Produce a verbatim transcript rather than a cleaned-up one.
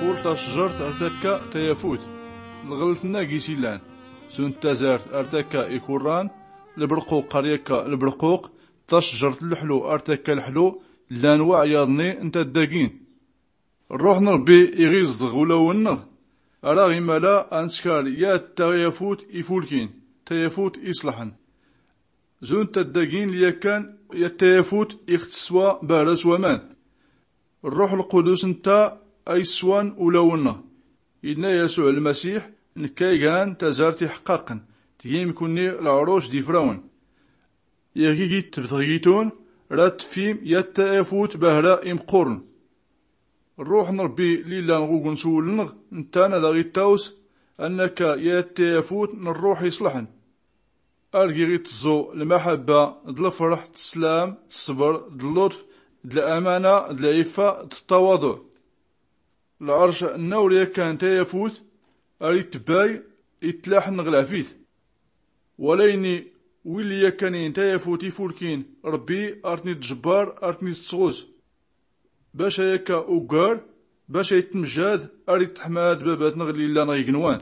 Ur tacjert ar takka tayafut. Lɣelt nna gis illan. Zunt tazart ar takka ikurran. Lbrquq ar yakka lbrquq. Tacjert lḥlu ar takka lḥlu. Llan waɛyaḍ nni n taddagin. Rruḥ n rbbi iɣiẓḍ ɣ ulawen nnɣ. Ara ɣ imala anskar yat tayafut ifulkin, tayafut iṣlḥn. Zunt taddagin lyakkan yat tayafut ixtswa bahra s waman. Rruḥ lqudus nta ayswan ulawen nnɣ. Inna yasuɛ lmasiḥ, nkka igan tazart iḥqqaqn, tgim kunni lɛruc d ifrawn. Iɣ gigit tbtɣgitun ra tfim yat tayafut bahra imqqurn. Rruḥ n rbbi lillan ɣ ugun s uwul nnɣ, ntan ad aɣ ittaws, annakka yat tayafut n rruḥ iṣlḥn. Ar giɣ itẓu lmaḥabba d lfrḥ d slam d sbr d llutf d lamana d liffa d ttawaḍuɛ. Lɛrc nna ur yakkan tayafut ar itbay itlaḥn ɣ lɛfit. Wala ini, willi yakkanin tayafut ifulkin, rbbi ar tn itjbbar ar tn ittɣus. Bac ayakka uggar, bac aytmjad ar ittḥmad babat nnɣ lillan ɣ ignwan.